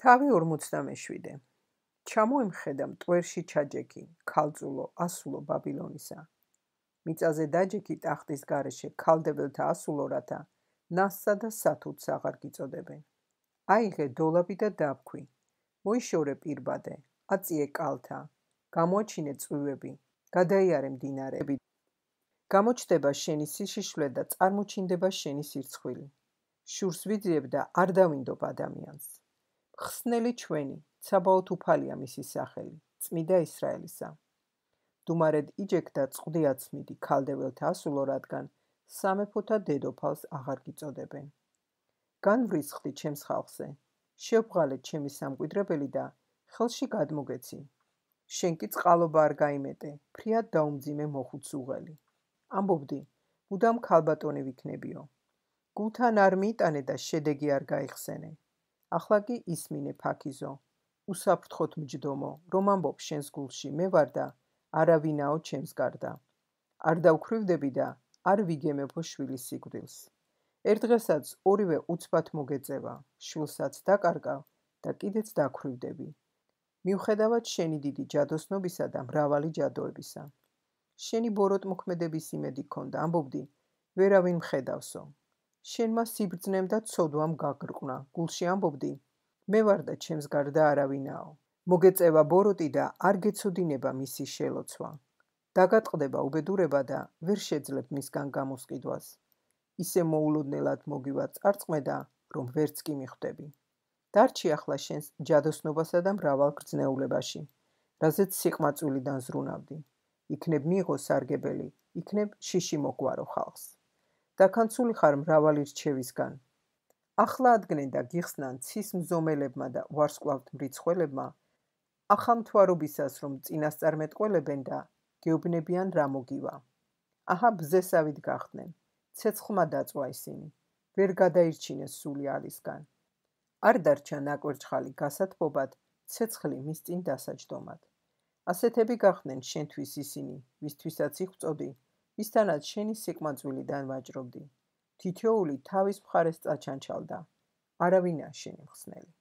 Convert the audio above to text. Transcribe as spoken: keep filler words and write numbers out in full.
თავი ორმოცდამეშვიდე. ჩამოემხედა მტვერში ჩაჯექი, ქალწულო, ასულო ბაბილონისა. მიწაზე დაჯექი ტახტის გარეშე, ქალდებელთა ასულო, რათა ნასსა და სათუთს აღარ გიწოდებენ. აიღე დოლაბი და დავქვი, მოიშორე პირბადე, აწიე კალთა, გამოაჩინე წვივები, გადაიარე მდინარეები. გამოჩნდება შენი სიშიშვლე და წარმოჩინდება შენი სირცხვილი. შურს ვიძიებ და არ დავინდობ ადამიანს. ხსნელი ჩვენი, ცაბაოთ უფალია მისი სახელი, წმიდა ისრაელისა. დუმარედ იჯექ და წყდი აცმიდი ქალდებელთა ასულო, რადგან სამეფოთა დედოფალს აღარ გიწოდებენ. განვრისხდი ჩემს ხალხზე, შევღალე ჩემი სამკვიდრებელი და ხელში გადმოგეცი. შენ კი წყალობა არ გაიმეტე, ფრიად დაუმძიმე მოხუც უღელი. ამბობდი, მუდამ ქალბატონი ვიქნებიო. გულთან არ მიიტანე და შედეგი არ გაიხსენე. ახლა კი ისმინე ფაქიზო, უსაფრთხოთ მჯდომო, რომ ამბობ შენს გულში მე ვარ და არავინაო ჩემს გარდა. არ დავქვრივდები და არ ვიგემებო შვილის სიკვდილს. ერთ დღესაც ორივე უცბად მოგეწევა, შვილსაც დაკარგავ და კიდეც დაქვრივდები. მიუხედავად შენი დიდი ჯადოსნობისა და მრავალი ჯადოებისა. შენი ბოროტმოქმედების იმედი ქონდა, ამბობდი, ვერავინ მხედავსო. შენმა სიბრძნემ და ცოდვამ გაგრყნა, გულში ამბობდი, მე ვარ და ჩემს გარდა არავინაო. მოგეწევა ბოროტი და არ გეცოდინება მისი შელოცვა. დაგატყდება უბედურება და ვერ შეძლებ მისგან გამოსყიდვას. ისე მოულოდნელად მოგივა წარწმე და რომ ვერც კი მიხვდები. დარჩი ახლა შენს ჯადოსნობასა და მრავალ გრძნეულებაში, რაზეც სიყმაწვილიდან ზრუნავდი. იქნებ მიიღო სარგებელი, იქნებ შიში მოგვარო ხალხს. დაქანცული ხარ მრავალი რჩევისგან. ახლა ადგნენ და გიხსნან ცის მზომელებმა და ვარსკვლავთ მრიცხველებმა, ახალმთვარობისას რომ წინასწარმეტყველებენ და გეუბნებიან რა მოგივა. აჰა ბზესავით გახდნენ, ცეცხლმა დაწვა ისინი, ვერ გადაირჩინეს სული ალისგან. არ დარჩა ნაკვერჩხალი გასათბობად, ცეცხლი მის წინ დასაჯდომად. ასეთები გახდნენ შენთვის ისინი, ვისთვისაც იხვწოდი, ვისთანაც შენი სიყმაწვილიდან ვაჭრობდი. თითოეული თავის მხარეს წაჩანჩალდა, არავინა შენი მხსნელი.